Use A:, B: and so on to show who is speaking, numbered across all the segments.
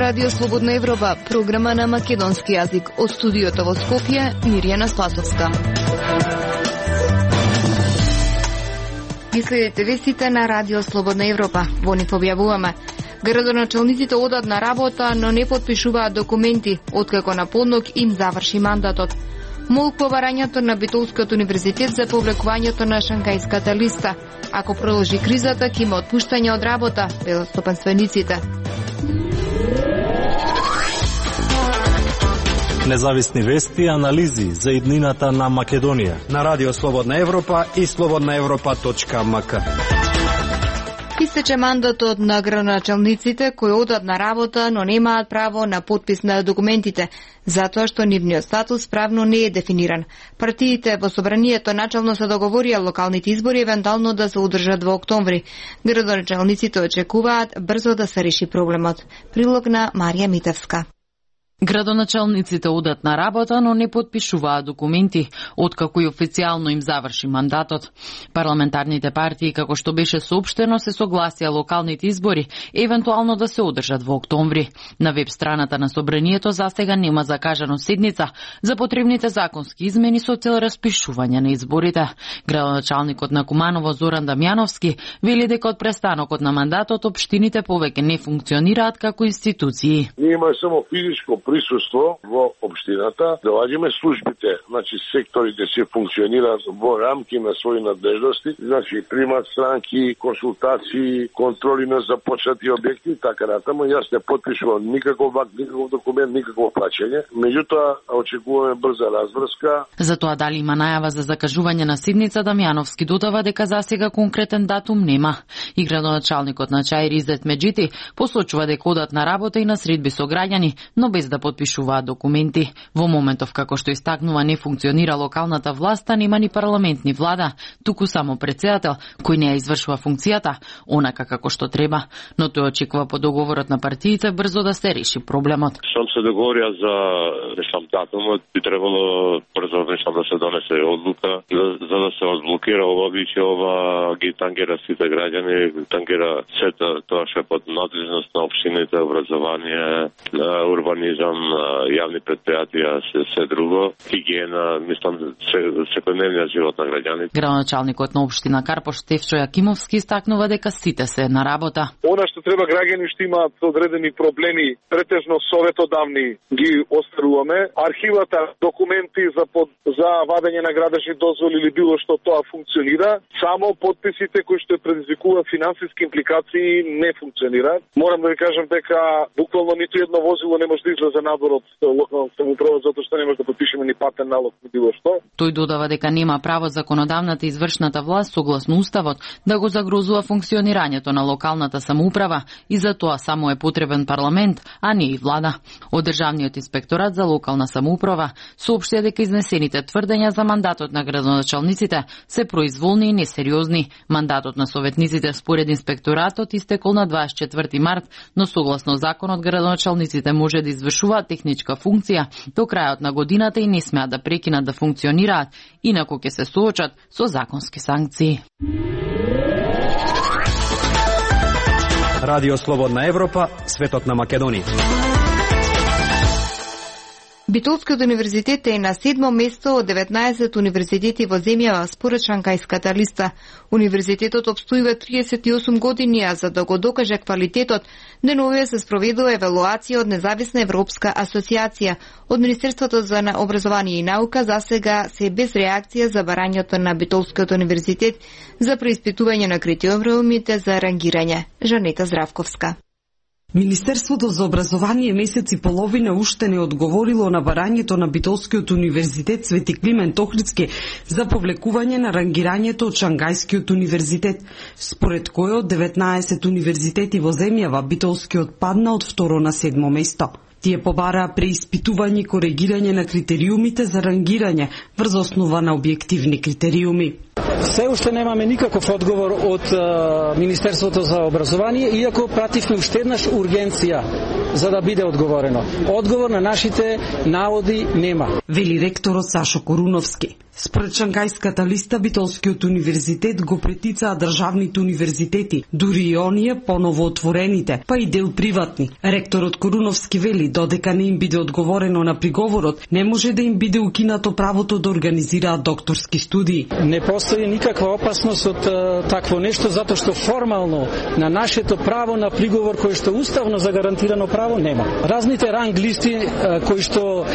A: Радио Слободна Европа, програма на македонски јазик. Од студиото во Скопје, Мирјана Слатовска. Ги следите вестите на Радио Слободна Европа. Во нив објавуваме: градоначалниците одат на работа, но не потпишуваат документи, откако на подног им заврши мандатот. Молк по барањето на Битолскиот универзитет за повлекувањето на Шангајската листа. Ако продолжи кризата, ќе има отпуштање од работа, велат стопанствениците.
B: Независни вести и анализи за иднината на Македонија
C: на Радио Слободна Европа и slobodnaevropa.mk.
A: Истече мандатот на градоначалниците кои одат на работа, но немаат право на подпис на документите, затоа што нивниот статус правно не е дефиниран. Партиите во собранието начално се договорија локалните избори евентуално да се одржат во октомври. Градоначалниците очекуваат брзо да се реши проблемот. Прилог на Марија Митевска.
D: Градоначалниците одат на работа, но не потпишуваат документи, откако и официјално им заврши мандатот. Парламентарните партии, како што беше соопштено, се согласија локалните избори евентуално да се одржат во октомври. На веб страната на собранието застега нема закажано седница за потребните законски измени со цел распишување на изборите. Градоначалникот на Куманово Зоран Дамјановски вели дека од престанокот на мандатот општините повеќе не функционираат како институции.
E: Нема само физичко присуство во општината, доаѓаме службите, значи секторите се функционираат во рамки на своји надлежности, значи примат странки, консултации, контроли на започнати објекти и така натаму. Јас не потпишувам никаков документ, никакво плаќање. Меѓутоа очекуваме брза разврска.
D: За тоа дали има најава за закажување на седница, Дамјановски додава дека засега конкретен датум нема. И градоначалникот на Чаир Изет Меджити посочува дека одат на работа и на средби со граѓани, но без да потпишуваат документи. Во моментов како што истакнува не функционира локалната власт, нема ни парламент ни влада, туку само председател кој не ја извршува функцијата онака како што треба, но тој очекува по договорот на партиите брзо да се реши проблемот.
F: Што се договорија за датумот, би требало брзо да се донесе одлука за да се одблокира ова више, ова ги тангера сите граѓани, тангера сето тоа што е под надлежност на општините, образование, урбанизам, јавни предпријатија, се друго, хигиена, мислам, секојдневниот живот на граѓаните.
D: Градоначалникот на општина Карпош Стефчо Јакимовски истакнува дека сите се на работа.
G: Она што треба граѓани што имаат одредени проблеми, претежно советодавни ги оставуваме. Архивата, документи за вадење на градежни дозволи или било што, тоа функционира. Само подписите кои што предизвикуваат финансиски импликации не функционираат. Морам да ви кажам дека буквално ниту едно возило не може да излезе надвор од локалната самоуправа затоа што не може да подпишеме ни патен налог ни било што.
D: Тој додава дека нема право законодавната и извршната власт согласно уставот да го загрозува функционирањето на локалната самоуправа и за тоа само е потребен парламент, а не и влада. Од Државниот инспекторат за локална самоуправа соопштија дека изнесените тврдења за мандатот на градоначалниците се произволни и несериозни. Мандатот на советниците според инспекторатот истекол на 24 март, но согласно законот градоначалниците може да извршуваат техничка функција до крајот на годината и не смеат да прекинат да функционираат, инаку ќе се соочат со законски санкции.
C: Радио Слободна Европа, светот на Македонија.
A: Битолскиот универзитет е на 7-мо место од 19 универзитети во земјава според Шангајската листа. Универзитетот обстојува 38 години, а за да го докаже квалитетот, деновиве се спроведува евалуација од независна европска асоциација. Од Министерството за образование и наука засега се без реакција за барањето на Битолскиот универзитет за преиспитување на критериумите за рангирање. Жанета Здравковска.
H: Министерството за образование месец и половина уште не одговорило на барањето на Битолскиот универзитет Свети Климент Охридски за повлекување на рангирањето од Шангајскиот универзитет, според кој од 19 универзитети во земјава Битолскиот падна од 2 на 7 место. Тие побараа преиспитување и коригирање на критериумите за рангирање врз основа на објективни критериуми.
I: Се уште немаме никаков одговор од Министерството за образование, иако пративме уште еднаш ургенција за да биде одговорено. Одговор на нашите наводи нема.
H: Вели ректорот Сашо Коруновски. Според Шангајската листа, Битолскиот универзитет го претицаа државните универзитети, дури и оние поново отворените, па и дел приватни. Ректорот Коруновски вели, додека не им биде одговорено на приговорот, не може да им биде укинато правото да организираат докторски студии.
I: Не постои никаква опасност од такво нешто, затоа што формално на нашето право на приговор, кој што уставно загарантирано право, нема. Разните ранг листи кои што,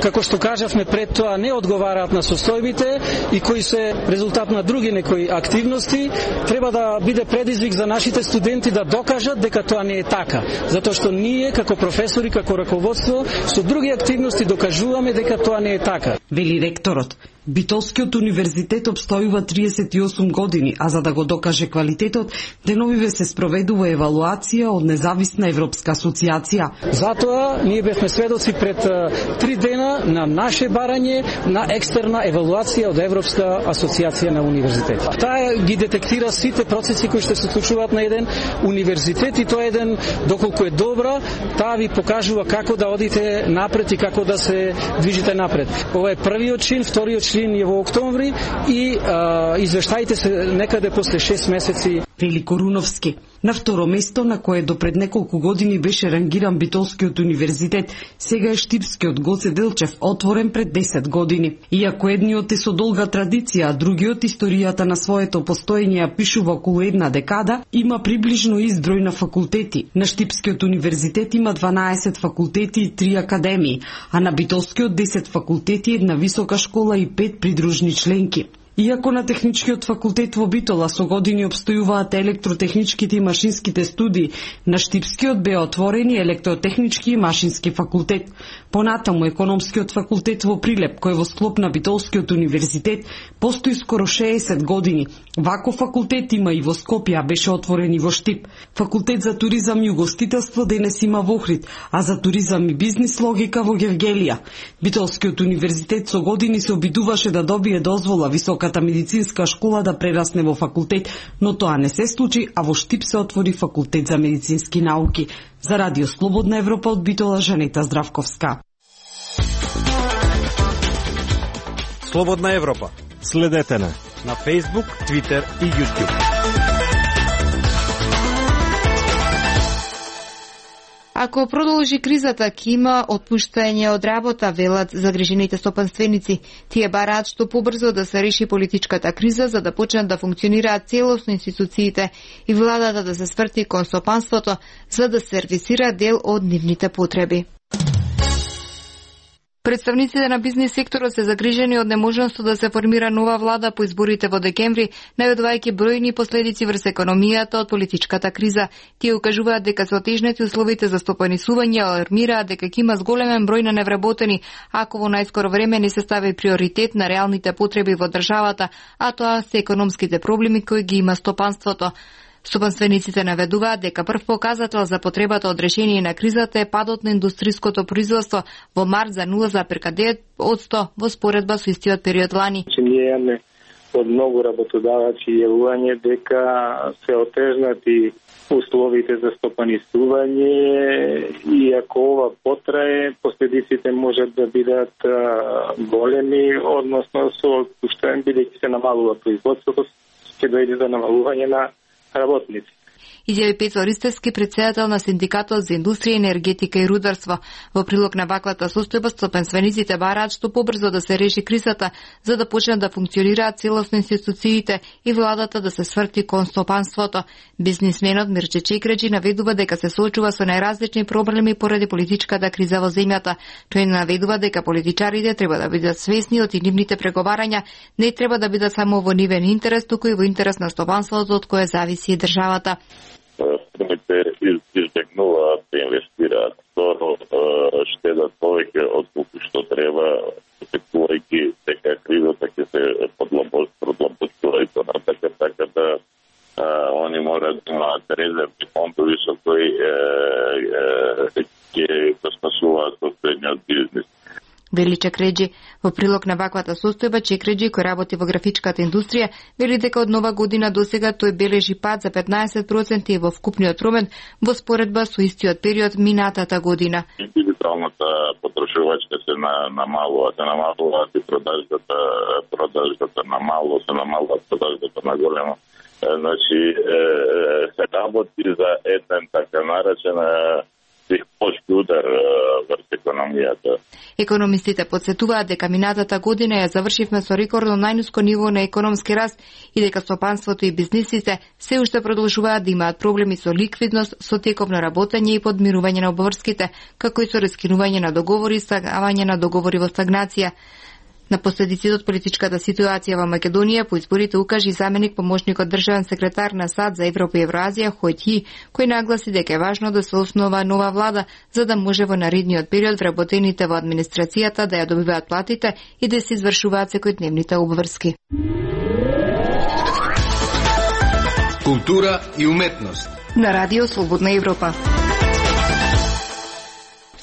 I: како што кажавме пред тоа, не одговараат на состојбите и кои се резултат на други некои активности, треба да биде предизвик за нашите студенти да докажат дека тоа не е така. Затоа што ние, како професори, како раководство, со други активности докажуваме дека тоа не е така.
H: Вели ректорот. Битолскиот универзитет обстојува 38 години, а за да го докаже квалитетот, деновиве се спроведува евалуација од независна европска асоциација.
I: Затоа ние бевме сведоци пред 3 дена на наше барање на екстерна евалуација од Европска асоциација на универзитети. Таа ги детектира сите процеси кои што се случуваат на еден универзитет и тоа еден, доколку е добра, таа ви покажува како да одите напред и како да се движите напред. Ова е првиот чин, вториот чин е во октомври и извештаите се некаде после 6 месеци.
H: Вели Коруновски. На второ место, на кое допред неколку години беше рангиран Битолскиот универзитет, сега е Штипскиот Гоце Делчев, отворен пред 10 години. Иако едниот е со долга традиција, а другиот историјата на своето постоење ја пишува околу една декада, има приближно ист број на факултети. На Штипскиот универзитет има 12 факултети и 3 академии, а на Битолскиот 10 факултети, една висока школа и 5 придружни членки. Иако на Техничкиот факултет во Битола со години обстојуваат електротехничките и машинските студии, на Штипскиот беа отворени електротехнички и машински факултет. Понатаму економскиот факултет во Прилеп, кој во склоп на Битолскиот универзитет постои скоро 60 години. Вако факултет има и во Скопје, а беше отворен и во Штип. Факултет за туризам и угостителство денес има во Охрид, а за туризам и бизнис логика во Гевгелија. Битолскиот универзитет со години се обидуваше да добие дозвола високата медицинска школа да прерасне во факултет, но тоа не се случи, а во Штип се отвори факултет за медицински науки. За Радио Слободна Европа од Битола, Жанета Здравковска.
C: Слободна Европа.
B: Следете на
C: Facebook, Twitter и YouTube.
A: Ако продолжи кризата, ќе има отпуштање од работа, велат загрижените стопанственици. Тие бараат што побрзо да се реши политичката криза, за да почнат да функционираат целосно институциите и владата да се сврти кон стопанството, за да сервисира дел од нивните потреби. Представниците на бизнис секторот се загрижени од неможноста да се формира нова влада по изборите во декември, најавувајќи бројни последици врз економијата од политичката криза. Тие укажуваат дека се отежнати условите за стопанисување, алармираат дека ќе има зголемен број на невработени, ако во најскоро време не се стави приоритет на реалните потреби во државата, а тоа се економските проблеми кои ги има стопанството. Стопанствениците наведуваат дека прв показател за потребата од решение на кризата е падот на индустриското производство во март за 0,9% во споредба со истиот период лани.
J: Ние имаме од многу работодавачи јавување дека се отежнати условите за стопанисување и ако ова потрае, последиците можат да бидат големи, односно со отпуштање, бидејќи се намалува производството, ќе дојде до намалување на работници.
A: Изјави Пецо Ристевски, председател на Синдикатот за индустрија, енергетика и рударство. Во прилог на ваквата состојба, стопанствениците бараат што побрзо да се реши кризата, за да почнат да функционираат целосно институциите и владата да се сврти кон стопанството. Бизнисменот Мирче Чекреджи наведува дека се соочува со најразлични проблеми поради политичката криза во земјата. Тој наведува дека политичарите треба да бидат свесни од нивните преговарања, не треба да бидат само во нивен интерес, туку и во интерес на стопанството од кое зависи државата.
F: Фирмите избегнуваат да инвестираат, второ штедат повеќе од колку што треба, очекувајќи дека кризата ќе се продлабочува и понатака, така да они мораат да имаат резервни фондови со кои ќе го спасуваат состојниот бизнес.
A: Вели вели Чекреджи. Во прилог на ваквата состојба, Чекреджи, кој работи во графичката индустрија, вели дека од нова година досега тој бележи пад за 15% во вкупниот промет во споредба со истиот период минатата година.
K: Дигиталната потрошувачка се намалува, и продажбата намалува, продажбата на големо. Значи, се работи за еден така наречен психološki удар врз економијата.
A: Економистите подсетуваат дека минатата година ја завршивме со рекордно најниско ниво на економски раст и дека стопанството и бизнисите се уште продолжуваат да имаат проблеми со ликвидност, со теков на работење и подмирување на обврските, како и со раскинување на договори и стагнување на договори во стагнација. На последиците од политичката ситуација во Македонија по изборите укажи заменик помошникот државен секретар на САД за Европа и Евразија Хојти, кој нагласи дека е важно да се основа нова влада за да може во наредниот период вработените во администрацијата да ја добиваат платите и да се извршуваат секојдневните обврски.
C: Култура и уметност
A: На Радио Слободна Европа.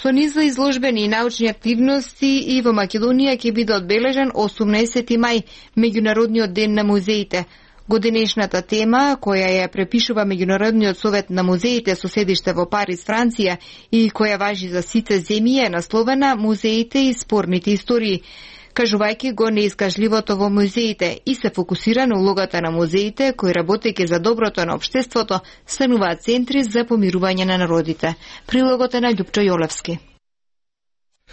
A: Со низ за изложбени и научни активности и во Македонија ќе биде одбележен 18 мај, Меѓународниот ден на музеите. Годинешната тема, која ја препишува Меѓународниот совет на музеите со седиште во Париз, Франција, и која важи за сите земји, е насловена "Музеите и спорните истории", кажувајќи го неискажливото во музеите и се фокусира на улогата на музеите, кои работејќи за доброто на општеството, стануваат центри за помирување на народите. Прилогот е на Љупчо Јолевски.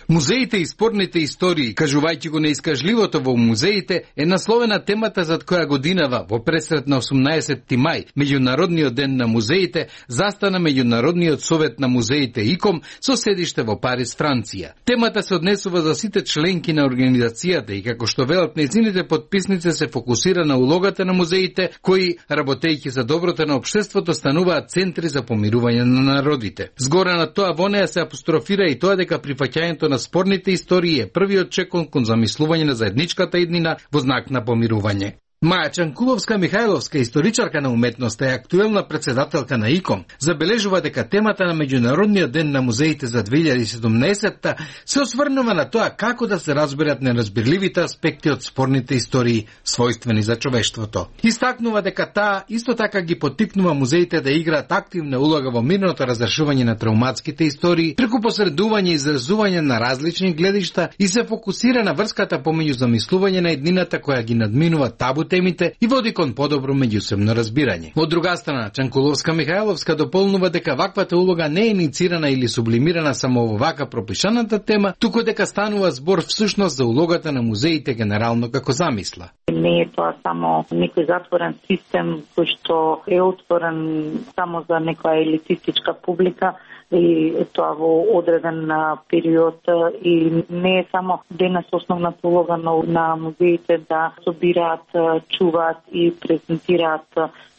C: Музеите и спорните истории, кажувајќи го неискажливото во музеите, е насловена темата за која годинава во пресрет на 18 мај, Меѓународниот ден на музеите, застана Меѓународниот совет на музеите ИКОМ со седиште во Париз, Франција. Темата се однесува за сите членки на организацијата и како што велат нејзините потписници се фокусира на улогата на музеите, кои, работејќи за доброто на општеството, стануваат центри за помирување на народите. Згора на тоа во неа се апострофира и тоа дека прифаќањето на спорните истории е првиот чекор кон замислување на заедничката иднина во знак на помирување. Маја Чанкуловска-Михајловска, историчарка на уметноста и актуелна председателка на ИКОМ, забележува дека темата на Меѓународниот ден на музеите за 2017 се осврнува на тоа како да се разберат неразбирливите аспекти од спорните истории, својствени за човештвото. Истакнува дека таа исто така ги поттикнува музеите да играат активна улога во мирното разрешување на травматските истории, преку посредување и изразување на различни гледишта и се фокусира на врската помеѓу замислување на еднината која ги надминува табу темите и води кон подобро меѓусебно разбирање. Од друга страна, Чанкуловска-Михајловска дополнува дека ваквата улога не е иницирана или сублимирана само во вака пропишаната тема, туку дека станува збор всушност за улогата на музеите генерално како замисла.
L: Не е тоа само некој затворен систем кој што е отворен само за некоја елитистичка публика, и тоа во одреден период, и не е само денес основната улога на музеите да собираат, чуваат и презентираат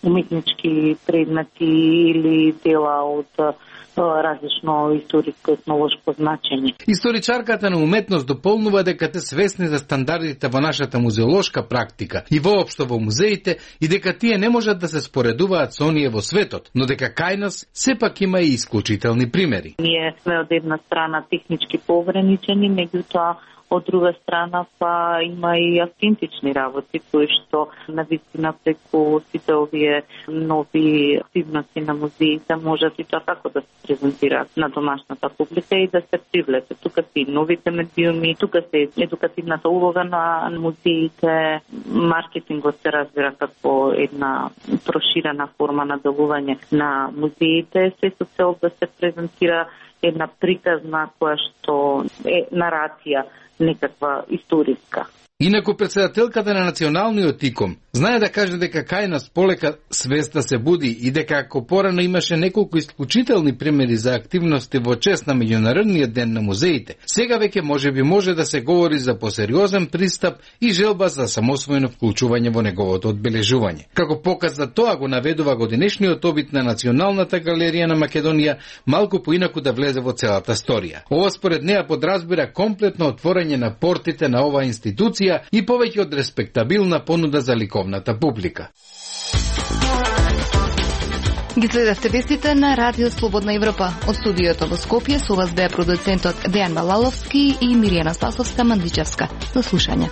L: уметнички предмети или дела од различно историско етнолошко значење.
C: Историчарката на уметност дополнува дека те свесни за стандардите во нашата музеолошка практика и воопшто во музеите и дека тие не можат да се споредуваат со оние во светот, но дека кај нас сепак има и исклучителни примери.
L: Ние сме од една страна технички поограничени, меѓутоа од друга страна па има и автентични работи кои што навистина преку сите овие нови активности на музеите можат и тоа како да се презентираат на домашната публика и да се привлече. Тука се и новите медиуми, тука се едукативната улога на музеите, маркетингот се разбира како една проширена форма на делување на музеите, се со цел да се презентира една приказна која што е нарација, некаква историска.
C: Инаку председателката на Националниот ИКОМ знае да каже дека кај нас полека свеста се буди и дека ако порано имаше неколку исклучителни примери за активности во чест на Меѓународниот ден на музеите, сега веќе може да се говори за посериозен пристап и желба за самосвоено вклучување во неговото одбележување. Како показ за тоа го наведува годинешниот обид на Националната галерија на Македонија малку поинаку да влезе во целата сторија. Ова според неа подразбира комплетно отворање на портите на оваа институција и повеќе од респектабилна понуда за ликовната публика.
A: Ги следевте вестите на Радио Слободна Европа. Од студиото во Скопје со вас беа продуцентот Дејан Малаловски и Миријана Спасовска-Мандичевска. До слушање.